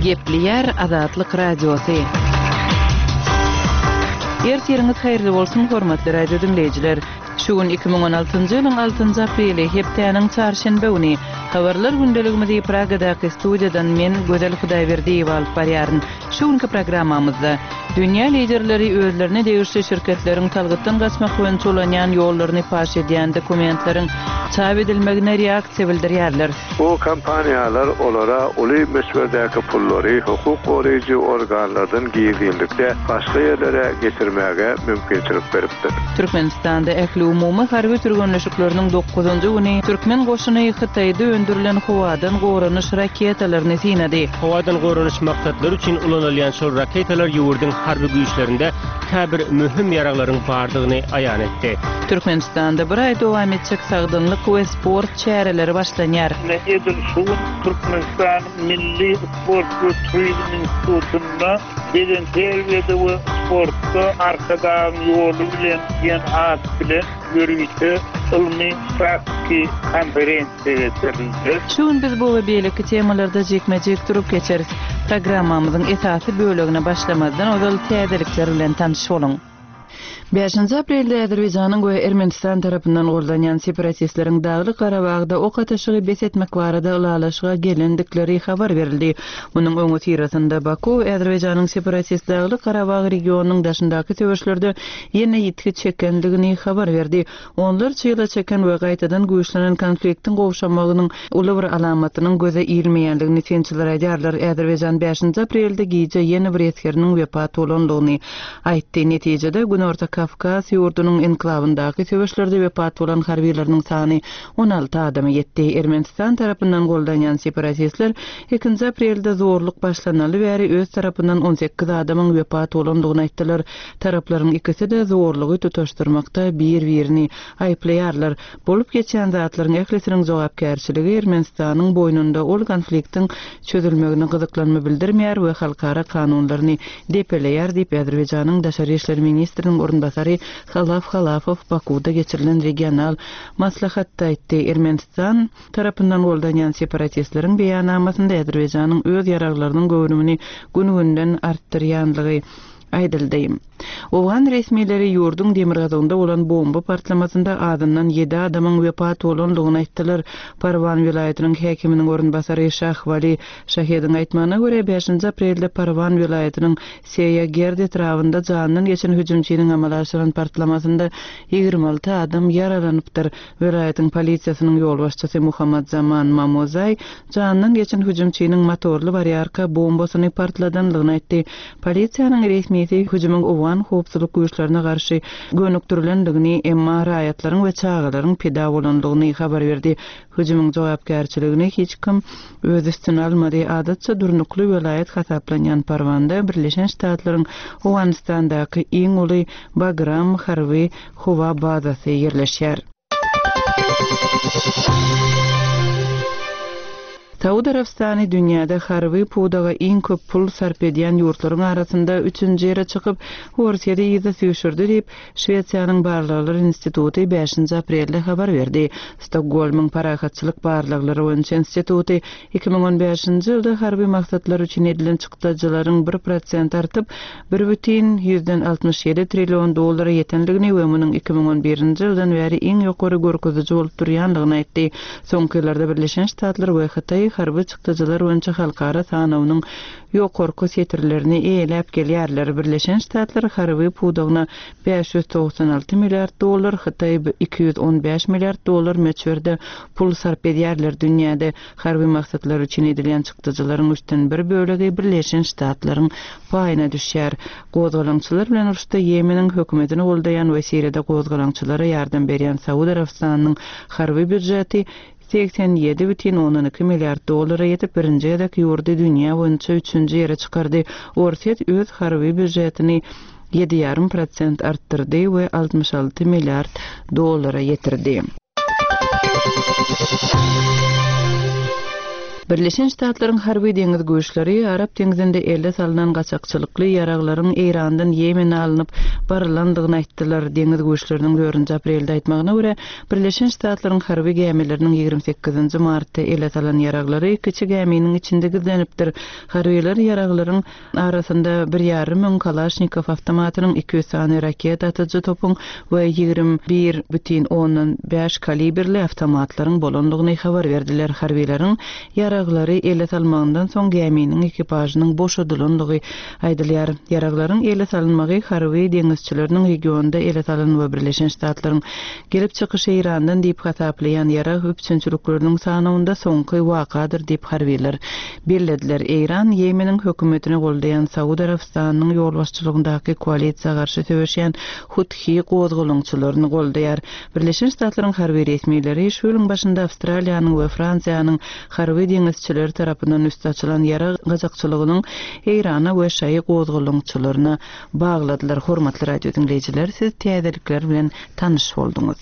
Gepleýär Azatlyk Radiosy. Ertiriňiz haýyrly bolsun, hormatly radio diňleýjiler! Şu gün 2016-njy ýylyň altynjy apreli, hepdäniň çarşenbe güni. Habarlar gündeligimizi Pragadaky studiýadan men, Gözel Hudaýberdiýewa alyp barýaryn. Şu günki programmamyzda, Dünýä liderleri özlerine degişli şirketleriň salgytdan gaçmak boýunça ulanýan ýollaryny paş edýän dokumentleriň çap edilmegine reaksiýa bildirýärler. Bu kompaniýalar olara uly möçberdäki pullary hukuk goraýjy organlardan gizlinlikde başga ýerlere geçirmäge mümkinçilik beripdir. Türkmenistanda ähliumumy harby türgenleşikleriniň dokuzynjy güni türkmen goşuny Hytaýda öndürilen howadan goranyş raketalaryny synady. Howadan goranyş maksatlary üçin ulanylýan şol raketalar ýurduň harby güýçlerinde käbir möhüm ýaraglaryň bardygyny aýan etdi. Türkmenistanda bir aý dowam etjek sagdynlyk we sport çäreleri başlanýar. Ine, edil şu gün Türkmenistanyň Milli sport we turizm institutynda Bedenterbiýede we sportda Arkadagyň ýoly bilen diýen at bilen ýörite ylmy-praktiki konferensiýa geçirildi. Şu gün biz bu we beýleki temalarda jikme-jik durup geçeris. Programmamyzyň esasy bölegine başlamazdan ozal täzelikler bilen tanyş boluň. Bäşinji aprelde Azerbaýjanyň we Ermenistan tarapyndan goldanýan separatistleriň Daglyk Garabagda ok atyşygy bes etmek barada ylalaşyga gelendikleri habar berildi. Munuň öňüsyrasynda Baku Azerbaýjanyň separatist Daglyk Garabag regionynyň daşyndaky söweşlerde ýene ýitgi çekendigini habar berdi. Onlarça ýyla çeken we gaýtadan güýçlenen konfliktiň gowşamagynyň uly bir alamatynyň göze ilmeýändigini synçylar aýdýarlar. Azerbaýjan bäşinji aprelde gije ýene bir esgeriniň wepat bolandygyny aýtdy. Netijede, Günorta Kawkaz ýurdunyň enklawyndaky söweşlerde wepat bolan harbylarynyň sany 16 adama ýetdi. Ermenistan tarapyndan goldanýan separatistler ikinji aprelde zorluk başlanaly bäri öz tarapyndan 18 adamyň wepat bolandygyny aýtdylar. Taraplaryň ikisi-de zorlugy tutaşdyrmakda bir-birini aýyplaýarlar. Bolup geçýän zatlaryň ählisiniň jogapkärçiligi Ermenistanyň boýnunda, ol konfliktiň çözülmegine gyzyklanma bildirmeýär we halkara kanunlaryny depeleýär diýip, Azerbaýjanyň daşary işler ministriniň orunbasary Halaf Halafow Bakuwda geçirilen regional maslahatda aýtdy. Ermenistan tarapyndan goldanýan separatistleriň beýannamasynda Azerbaýjanyň öz ýaraglarynyň göwrümini gün-günden artdyrýanlygy aýdyldy. Owgan resmileri ýurduň demirgazygynda bolan bomba partlamasynda azyndan ýedi adamyň wepat bolandygyny aýtdylar. Parwan welaýatynyň häkiminiň orunbasary Şah Wali Şahediň aýtmagyna görä, bäşinji aprelde Parwan welaýatynyň Seýa Gerd etrabynda janyndan geçen hüjümçiniň amala aşyran partlamasynda 26 adam ýaralanypdyr. Welaýatyň polisiýasynyň ýolbaşçysy Muhammad Zaman Mamozaý janyndan geçen hüjümçiniň motorly barýarka bombasyny partladanlygyny aýtdy. Polisiýanyň resmisi hüjümiň owgan howpsuzlyk güýçlerine garşy gönükdirilendigini, emma raýatlaryň we çagalaryň pida bolandygyny habar berdi. Hüjümiň jogapkärçiligini hiç kim öz üstüne almady. Adatça durnukly welaýat hasaplanýan Parwanda Birleşen Ştatlaryň Owganystandaky iň uly Bagram harby howa bazasy ýerleşýär. Saud Arabystany dünýäde harby pudaga iň köp pul sarp edýän ýurtlaryň arasynda üçünji ýere çykyp, Orsýeti yza süýşürdi diýip, Şwesiýanyň Barlaglar instituty bäşinji aprelde habar berdi. Stokgolmyň Parahatçylyk barlaglary boýunça instituty 2015-nji ýylda harby maksatlar üçin edilen çykdajylaryň bir prosent artyp, 1,67 trillion dollara ýetendigini we munuň 2011-nji ýyldan bäri iň ýokary görkeziji bolup durýandygyny aýtdy. Soňky ýyllarda Birleşen Ştatlar we Hytaý harby çykdajylar boýunça halkara sanawynyň ýokarky setirlerini eýeläp gelýärler. Birleşen Ştatlar harby pudagyna 596 milliard dollar, Hytaý 215 milliard dollar möçberde pul sarp edýärler. Dünýäde Harby maksatlar üçin edilýän çykdajylaryň üçden bir bölegi Birleşen Ştatlaryň paýyna düşýär. Gozgalaňçylar bilen uruşda Ýemeniň hökümetini goldaýan we Siriýada gozgalaňçylara ýardam berýän Saud Arabystanynyň harby býujeti 87,2 milliard dollara ýetip, birinji gezek ýurdy dünýä boýunça üçünji ýere çykardy. Orsýet öz harby býujetini ýedi ýarym prosent artdyrdy we 66 milliard dollara ýetirdi. Birleşen Ştatlaryň harby deňiz güýçleri Arap deňzinde ele salnan gaçakçylykly ýaraglaryň Eýrandan Ýemene alnyp barylandygyny aýtdylar. Deňiz güýçleriniň dördünji aprelde aýtmagyna görä, Birleşen Ştatlaryň harby gämileriniň 28 nji martda ele salan ýaraglary kiçi gäminiň içinde gizlenipdir. Harbylar ýaraglaryň Arasynda bir ýarym müň Kalaşnikow awtomatynyň, 200 sany raketa atyjy topuň we 21 bütin ondan bäş kalibrli awtomatlaryň bolandygyny habar berdiler. Harbylaryň ýaraglary ele salmagyndan soň gäminiň ekipažynyň boşadylandygy aýdylýar. Ýaraglaryň ele salynmagy harby deňizçileriniň regionda ele salan we Birleşen Ştatlaryň gelip çykyşy Eýrandan diýip hasaplaýan ýarag üpjünçilikleriniň sanawynda soňky wakadyr diýip harbylar bellediler. Eýran Ýemeniň hökümetini goldaýan Saud Arabystanynyň ýolbaşçylygyndaky koalisiýa garşy söweşýän Huthi gozgalaňçylaryny goldaýar. Birleşen Ştatlaryň harby resmileri şu ýylyň başynda Awstraliýanyň we Fransiýanyň harby deňizçileri tarapyndan üsti açylan ýarag gaçakçylygynyň Eýrana we şaýy gozgalaňçylaryna bagladylar. Hormatly radio diňleýjiler, siz täzelikler bilen tanyş bolduňyz.